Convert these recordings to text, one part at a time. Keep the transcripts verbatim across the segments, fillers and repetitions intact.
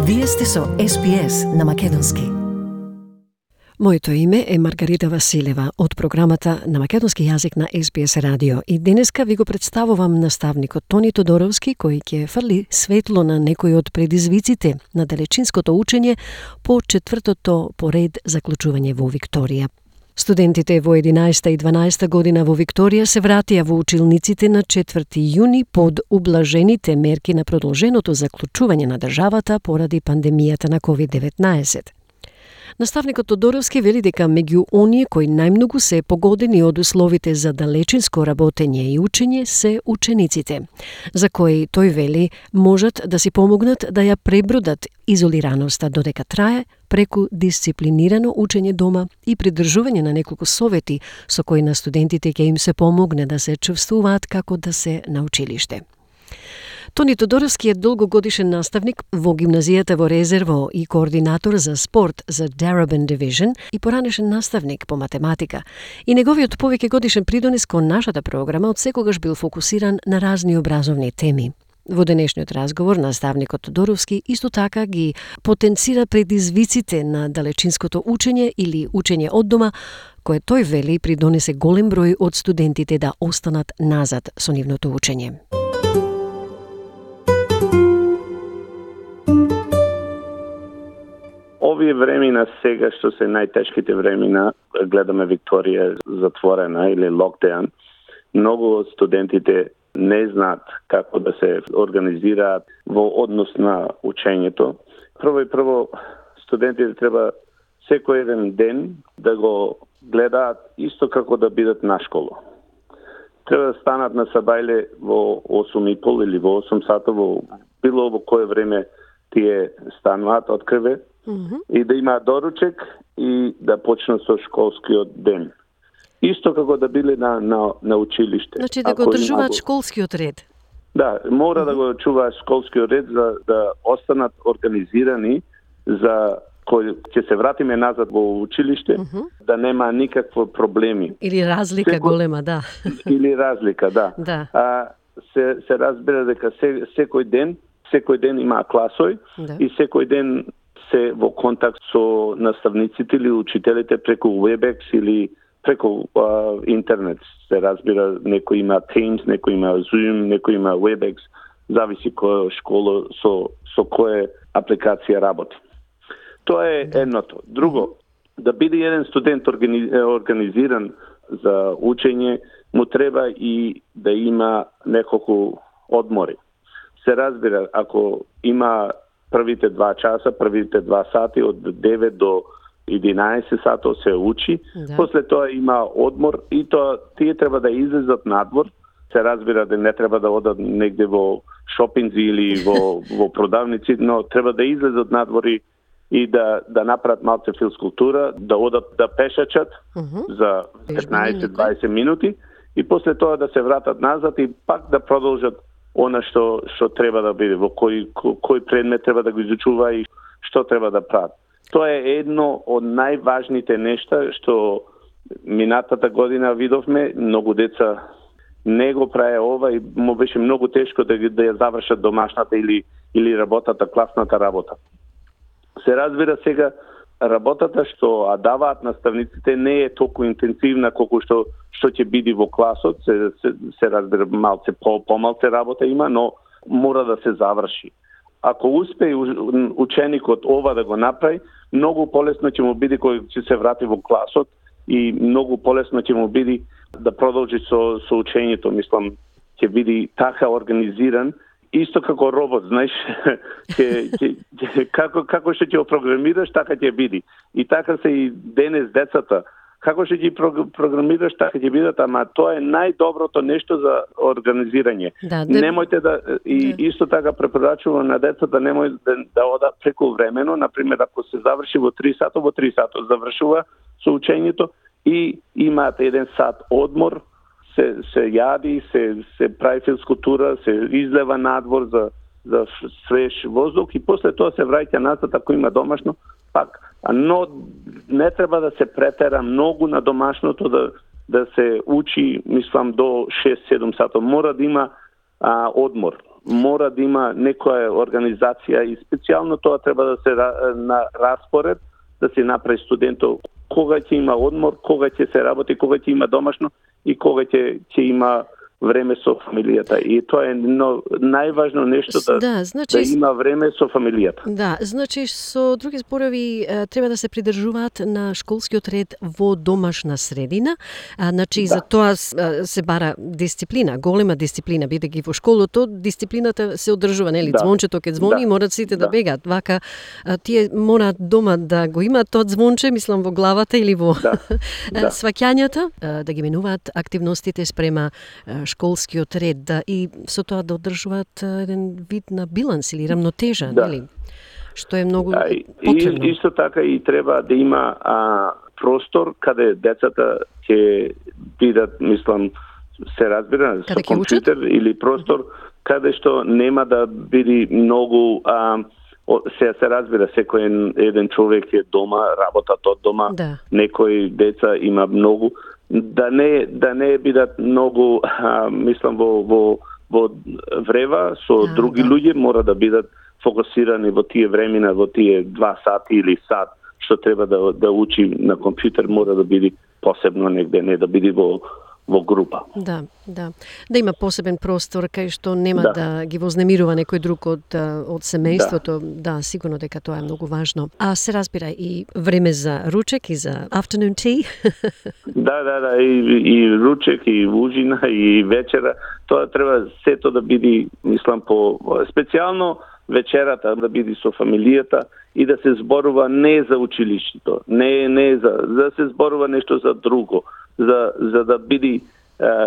Вие сте со Ес Би Ес на Македонски. Моето име е Маргарита Василева од програмата на македонски јазик на Ес Би Ес Радио и денеска ви го представувам наставникот Тони Тодоровски кој ќе фрли светло на некои од предизвиците на далечинското учење по четвртото поред заклучување во Викторија. Студентите во единаесета и дванаесета година во Викторија се вратија во училниците на четврти јуни под ублажените мерки на продолженото заклучување на државата поради пандемијата на ковид деветнаесет. Наставникот Тодоровски вели дека меѓу оние кои најмногу се погодени од условите за далечинско работење и учење се учениците, за кои тој вели можат да си помогнат да ја пребродат изолираноста додека трае преку дисциплинирано учење дома и придржување на неколку совети со кои на студентите ќе им се помогне да се чувствуваат како да се на училиште. Тони Тодоровски е долгогодишен наставник во гимназијата во Резерво и координатор за спорт за Darebin Division и поранешен наставник по математика. И неговиот повеќе годишен придонес кон нашата програма одсекогаш бил фокусиран на разни образовни теми. Во денешниот разговор наставникот Тодоровски исто така ги потенцира предизвиците на далечинското учење или учење од дома, кое тој вели придонесе голем број од студентите да останат назад со нивното учење. Овие времена сега што се најтешките времена, гледаме Викторија затворена или локдаун, многу од студентите не знаат како да се организираат во однос на учењето. Прво и прво, студентите треба секој еден ден да го гледаат исто како да бидат на школа. Треба да станат на сабајле во осум и пол или во осум сата, во било во кое време тие стануваат од крве, mm-hmm. и да имаат доручек и да почнат со школскиот ден. Исто како да биле на, на, на училиште. Значи да го одржуваат школскиот ред. Да, мора mm-hmm. да го чуваат школскиот ред за да останат организирани за кој ќе се вратиме назад во училиште, mm-hmm. да нема никакви проблеми. Или разлика Секо... голема, да. Или разлика, да. да. А, се, се разбира дека се, секој ден, секој ден има класој да. И секој ден се во контакт со наставниците или учителите преку WebEx или преку а, интернет. Се разбира, некој има Teams, некој има Zoom, некој има WebEx, зависи која школа со, со која апликација работи. Тоа е едното. Друго, да биде еден студент организиран за учење, му треба и да има неколку одмори. Се разбира, ако има првите два часа, првите два сати од девет до единаесет сато се учи, да. После тоа има одмор и тоа тие треба да излезат надвор. Се разбира да не треба да одат негде во шопинзи или во, во продавници, но треба да излезат надвор и, и да, да направат малце физкултура, да одат да пешачат uh-huh. за петнаесет-дваесет минути и после тоа да се вратат назад и пак да продолжат она што што треба да биде, во кој кој предмет треба да го изучува и што треба да прави. Тоа е едно од најважните нешта што минатата година видовме, многу деца не го прави ова и му беше многу тешко да, да ја завршат домашната или или работата, класната работа. Се разбира сега работата што даваат наставниците не е толку интензивна колку што што ќе биде во класот, се, се, се разбира малце по помалце работа има, но мора да се заврши. Ако успее ученикот ова да го направи, многу полесно ќе му биде кој ќе се врати во класот и многу полесно ќе му биде да продолжи со со учењето, мислам, ќе биде така организиран. Исто како робот, знаеш, ќе, ќе, ќе, како, како што ќе го програмираш, така ќе биде. И така се и денес децата. Како што ги програмираш, така ќе бидат, ама тоа е најдоброто нешто за организирање. Да, да, немојте да, и да. Исто така препорачувам на децата, немој да, да одат преку времено, например, ако се заврши во три сата, во три сата завршува со учењето и имаат еден сат одмор, се се јади, се се прави физкултура, се излева надвор за за свеж воздух и после тоа се враќа назад ако има домашно пак. Но не треба да се претера многу на домашното да да се учи, мислам, до шест-седум сата. Мора да има а, одмор. мора да има некоја организација и специјално тоа треба да се на распоред, да се направи студентот кога ќе има одмор, кога ќе се работи, кога ќе има домашно и кога ќе ќе има време со фамилијата. И тоа е но, најважно нешто да, да, значи, да има време со фамилијата. Да, значи со други зборови треба да се придржуваат на школскиот ред во домашна средина. А, значи да. За тоа се бара дисциплина, голема дисциплина, бидејќи во школото дисциплината се одржува, нели? Да. Звончето ќе звони, да. Морат сите да, да бегаат. Вака тие мораат дома да го имаат тоа звонче, мислам во главата или во да. Да. сваќањата, да ги менуваат активностите спрема школскиот ред, да, и со тоа да одржуваат еден вид на биланс или рамнотежа, да. Нели? Што е многу да, потребно. И исто така и треба да има а, простор каде децата ќе бидат, мислам, се разбира, каде со компјутер или простор mm-hmm. каде што нема да биде многу а, се се разбира, секој еден човек е дома, работат од дома, да. Некои деца има многу да не да не бидат многу а, мислам во во во врева со а, други да. Луѓе, мора да бидат фокусирани во тие времена, во тие два сати или сат што треба да да учи на компјутер, мора да биде посебно негде, не да биде во во група. Да, да. Да има посебен простор кај што нема да, да ги вознемирува некој друг од од семејството. Да. Да, сигурно дека тоа е многу важно. А се разбира и време за ручек и за afternoon tea. Да, да, да, и, и ручек и ужина и вечера, тоа треба сето да биде, мислам, по специјално вечерата да биде со фамилијата и да се зборува не за училиштето, не не за да се зборува нешто за друго, за за да биде,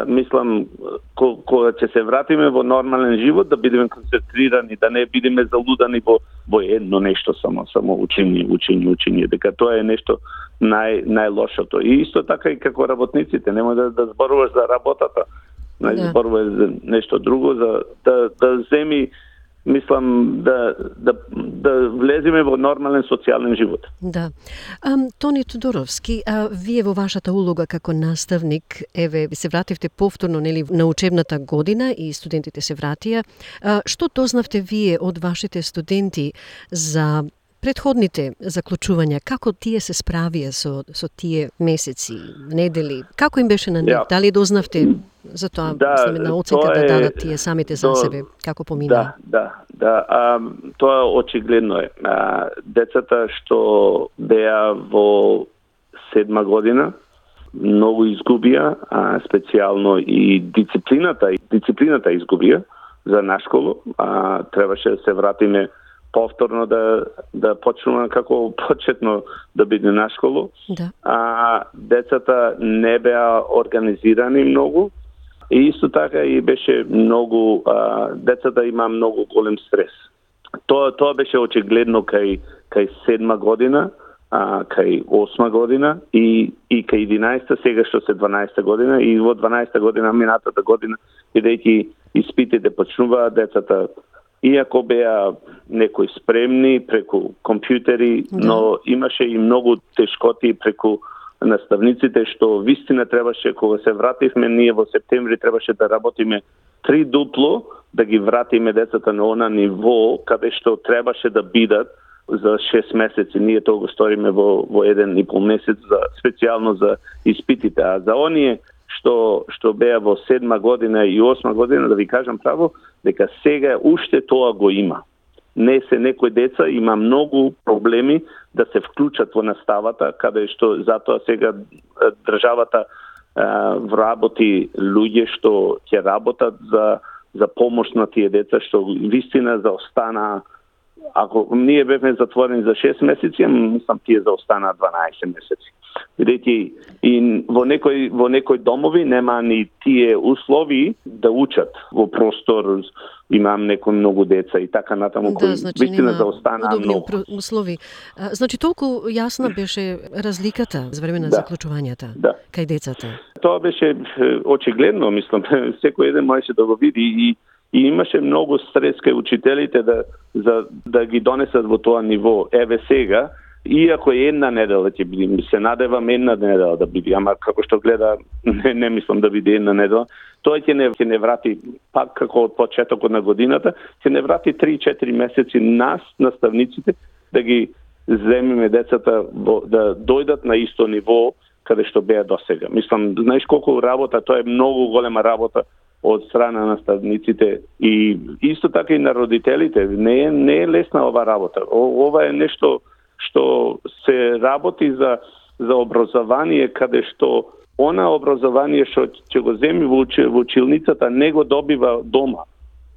мислам, кога ќе се вратиме во нормален живот, да бидеме концентрирани, да не бидеме залудани во во едно нешто само, само учење, учење, учење, дека тоа е нешто нај најлошото. И исто така и како работниците, нема да да зборуваш за работата, не да. Зборуваш за нешто друго, за да да земи, мислам, да, да, да влеземе во нормален социјален живот. Да. А, Тони Тодоровски, а вие во вашата улога како наставник, еве, се вративте повторно, нели, на учебната година и студентите се вратија. А, што дознавте вие од вашите студенти за претходните заклучувања, како тие се справија со со тие месеци, недели? Како им беше на нив? Yeah. Дали дознавте за тоа, да, мислам, една оценка да дадат тие самите за то, себе, како помина? Да, да, да. А, тоа очигледно е. А, децата што беа во седма година многу изгубија, а, специјално и дисциплината, дисциплината изгубија за нашколу. А, требаше да се вратиме повторно да да почнува како почетно да биде на школу. Да. А децата не беа организирани многу и исто така и беше многу а, децата има многу голем стрес. Тоа тоа беше очигледно кај кај седма година, а кај осма година и и кај единаесетта, сега што се дванаесетта година и во дванаесетта година минатата година, бидејќи испитите почнуваа, децата иако беа некои спремни преку компјутери, да. Но имаше и многу тешкоти преку наставниците, што вистина требаше, кога се вративме ние во септември, требаше да работиме три дупло, да ги вратиме децата на она ниво, каде што требаше да бидат за шест месеци. Ние тоа го сториме во, во еден и пол месец, за, специјално за испитите. А за оние што што беа во седма година и осма година, да ви кажам право, дека сега уште тоа го има. Не се некои деца има многу проблеми да се вклучат во наставата, каде што затоа сега државата а, вработи луѓе што ќе работат за за помош на тие деца што вистина заостанаа. Ако ние бевме затворени за шест месеци, мислам тие заостанаа дванаесет месеци. Бидејќи и во некои во некои домови нема ни тие услови да учат во простор, имам некои многу деца и така натаму, да, кои значи, вистина заостанаа многу услови. А, значи толку јасна беше разликата за време на да. Заклучувањата да. Кај децата. Тоа беше очигледно, мислам, секој еден можеше да го види и И имаше многу стрес кај учителите да за да ги донесат во тоа ниво. Еве сега Иако е една недела ќе биде, ми се надевам една недела да биде, ама како што гледа, не, не мислам да биде една недела. Тоа ќе не, ќе не врати, пак како од почетокот на годината, ќе не врати три-четири месеци нас, наставниците, да ги земиме децата да дојдат на исто ниво каде што беа досега. Мислам, знаеш колку работа, тоа е многу голема работа од страна на наставниците и исто така и на родителите. Не е, не е лесна ова работа. О, ова е нешто што се работи за, за образование, каде што она образование што ќе го земи во, уч, во училницата не го добива дома.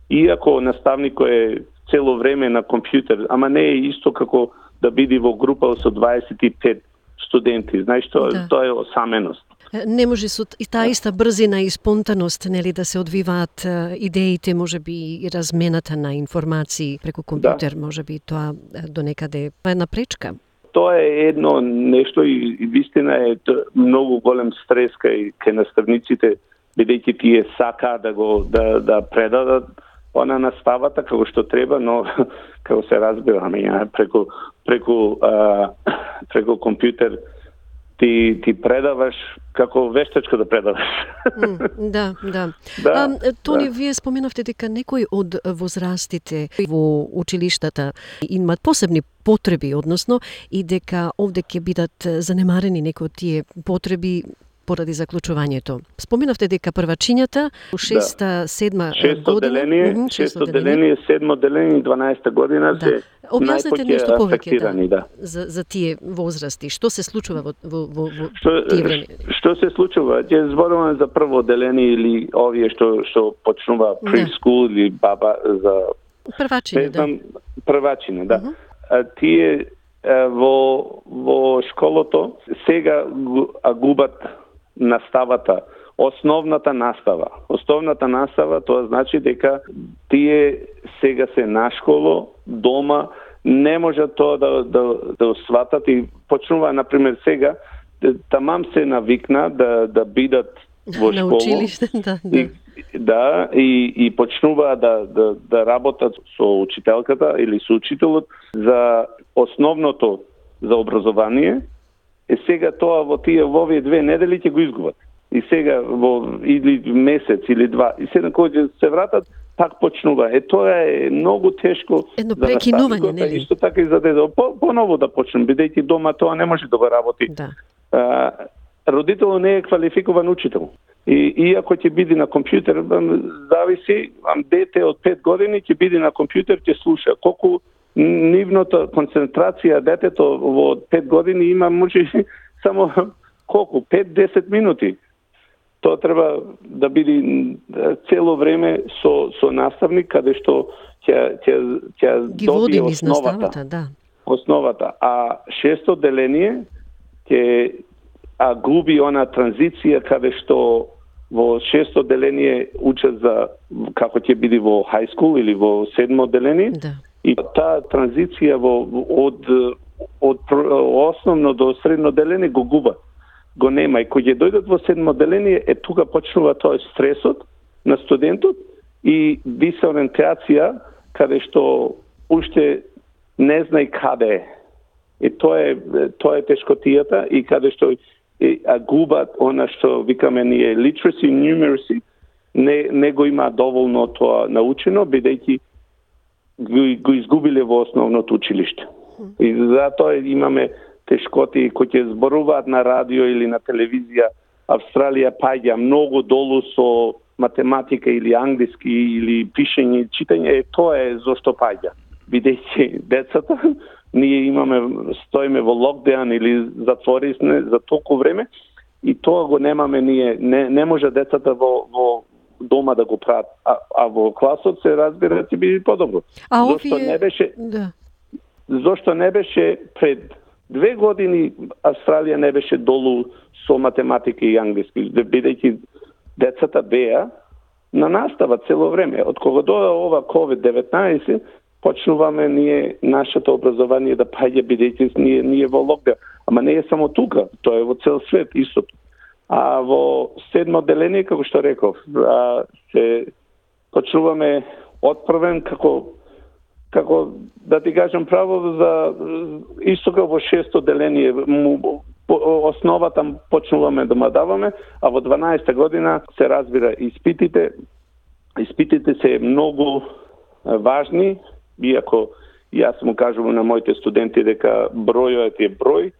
Иако наставникот е цело време на компјутер, ама не е исто како да биде во група со дваесет и пет студенти. Знаеш, тоа, да. Тоа е осаменост. Не може со и таа иста брзина и спонтаност, нели, да се одвиваат идеите, можеби и размената на информации преку компјутер, да. Можеби тоа до некаде е една пречка. Тоа е едно нешто и, и вистина е многу голем стрес кај кај наставниците, бидејќи тие сака да го да да предадат она наставата како што треба, но како се разбираме, ја, преку преку а, преку компјутер ти ти предаваш како вештачко да предаваш. Mm, да, да. да а, Тони, да. вие споменавте дека некои од возрастите во училиштата имаат посебни потреби, односно и дека овде ќе бидат занемарени некои од тие потреби поради заклучувањето. Споменавте дека првачињата у шеста, седма шесто година, деление, mm-hmm, шесто деление, седмо деление и дванаесета година да. се објаснете нешто повеќе да, да. За, за тие возрасти. Што се случува во, во, во, во што, тие време? Што се случува? Ќе зборуваме за прво деление или овие што што почнува прескул да. Или баба за првачиња, да. Првачиња, да. Uh-huh. А, тие а, во во школото сега а губат наставата, основната настава. Основната настава тоа значи дека тие сега се на школо, дома, не можат тоа да да да сватат и почнува на пример сега тамам се навикна да да бидат во школа. На училиште, да, да. И, да, и и почнува да да да работат со учителката или со учителот за основното за образование. Е сега тоа во тие во овие две недели ќе го изгубат. И сега во или месец или два. И сега кога се вратат, пак почнува. Е тоа е многу тешко едно прекинување, нели? Исто така и за дете. По, поново да почнем, бидејќи дома тоа не може да го работи. Да. А, родителот не е квалификуван учител. И иако ќе биде на компјутер, зависи, дете од пет години ќе биде на компјутер, ќе слуша. Колку нивната концентрација детето во пет години има може само колку пет-десет минути. Тоа треба да биде цело време со со наставник каде што ќе ќе ќе добие основата, да. Основата, а шесто деление ќе а губи она транзиција каде што во шесто деление учат за како ќе биде во high school или во седмо деление. Да. И таа транзиција во од од основно до средно деление го губа. Го нема и кога ќе дојдат во седмо деление, е тука почнува тоа стресот на студентот и дисориентација каде што уште не знае каде е. И тоа е тоа е тешкотијата и каде што е, а губат она што викаме ние literacy, numeracy, не не го има доволно тоа научено, бидејќи го, го изгубиле во основното училиште. И затоа имаме тешкоти кои ќе зборуваат на радио или на телевизија. Австралија паѓа многу долу со математика или англиски или пишење и читање. Е, тоа е зошто паѓа. Бидејќи децата, ние имаме, стоиме во локдаун или затвори сме за толку време и тоа го немаме ние. Не, не може децата во, во дома да го прават, а, а во класот се разбира ќе биде подобро. А зошто овие... не беше да. Зошто не беше пред две години Австралија не беше долу со математика и англиски, бидејќи децата беа на настава цело време. Од кога дојде ова ковид деветнаесет, почнуваме ние нашето образование да паѓа, бидејќи ние ние во локдаун. Ама не е само тука, тоа е во цел свет истото. А во седмо деление, како што реков, а, се почнуваме од првен како како да ти кажам право, за исто како во шесто деление, му, основата почнуваме да ма даваме, а во дванаесета година се разбира испитите. Испитите се многу важни, иако јас му кажувам на моите студенти дека бројот е број,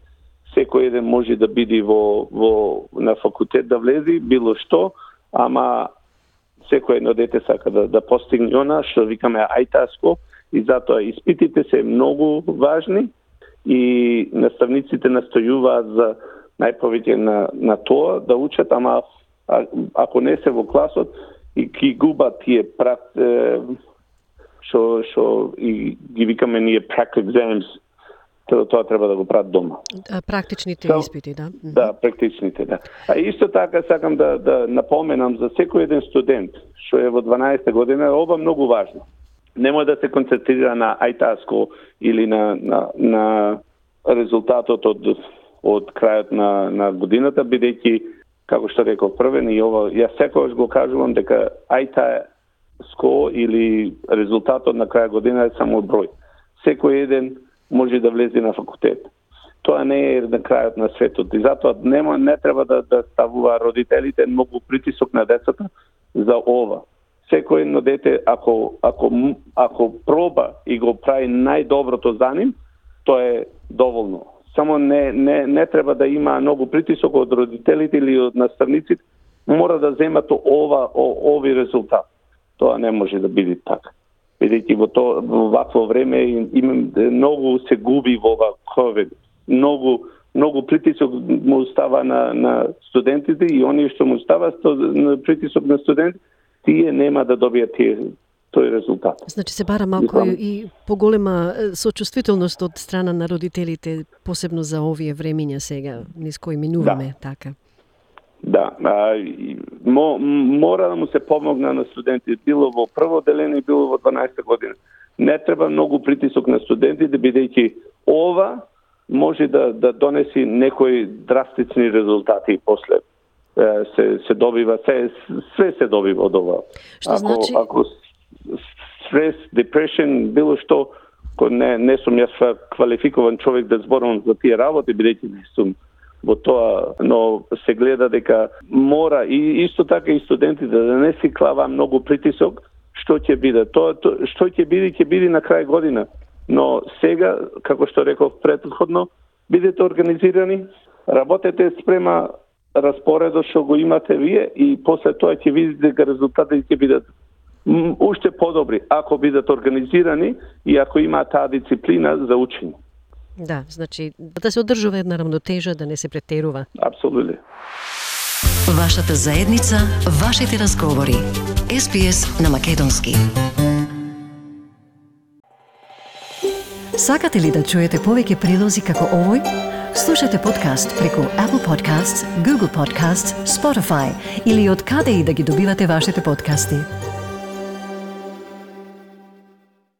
секој еден може да биде во, во на факултет да влези, било што, ама секој едно дете сака да, да постигне она што викаме ај ти ес-ко, и затоа испитите се многу важни и наставниците настојуваат за најповеќе на, на тоа да учат, ама а, ако не се во класот и ги губат тие прак, што што и ги викаме ние practice exams, тоа, тоа треба да го прават дома. Практичните so, испити, да? Да, практичните, да. А исто така сакам да, да напоменам за секој еден студент што е во дванаесета година, ова многу важно. Нема да се концентрира на ај ти ес-ко или на, на, на резултатот од, од крајот на, на годината, бидејќи, како што реков првен, и ова, јас секогаш го кажувам дека ај ти ес-ко или резултатот на крај година е само број. Секој еден може да влезе на факултет. Тоа не е на крајот на светот и затоа нема, не треба да, да ставува родителите многу притисок на децата за ова. Секој едно дете, ако, ако, ако проба и го прави најдоброто за ним, тоа е доволно. Само не, не, не треба да има многу притисок од родителите или од наставниците, мора да земат ова, о, ови резултат. Тоа не може да биде така. Бидејќи во тоа во вакво време им многу се губи во ова ковид. Многу многу притисок му става на на студентите и оние што му става на притисок на студенти, тие нема да добијат тие тој резултат. Значи се бара малку и, и поголема сочувствителност од страна на родителите, посебно за овие времиња сега, низ кои минуваме, да. Така. Да, а, мо, мора да му се помогне на студентите, било во прво деление, било во дванаесета година. Не треба многу притисок на студентите, бидејќи ова може да, да донеси некои драстични резултати после. Се, се добива, се, све се добива од ова. Што ако, значи? Ако стрес, депрешен, било што, не, не сум јас квалификуван човек да зборувам за тие работи, бидејќи не сум во тоа, но се гледа дека мора и исто така и студентите да не си клава многу притисок, што ќе биде. Тоа, то, што ќе биде, ќе биде на крај година. Но сега, како што реков претходно, бидете организирани, работете спрема распоредот што го имате вие и после тоа ќе видите дека резултатите ќе бидат уште подобри ако бидат организирани и ако има таа дисциплина за учење. Да, значи да се одржува една рамнотежа, да не се претерува. Апсолутно. Вашата заедница, вашите разговори. Ес Би Ес на македонски. Сакате ли да чуете повеќе прилози како овој? Слушате подкаст преку Apple Podcasts, Google Podcasts, Spotify или од каде и да ги добивате вашите подкасти.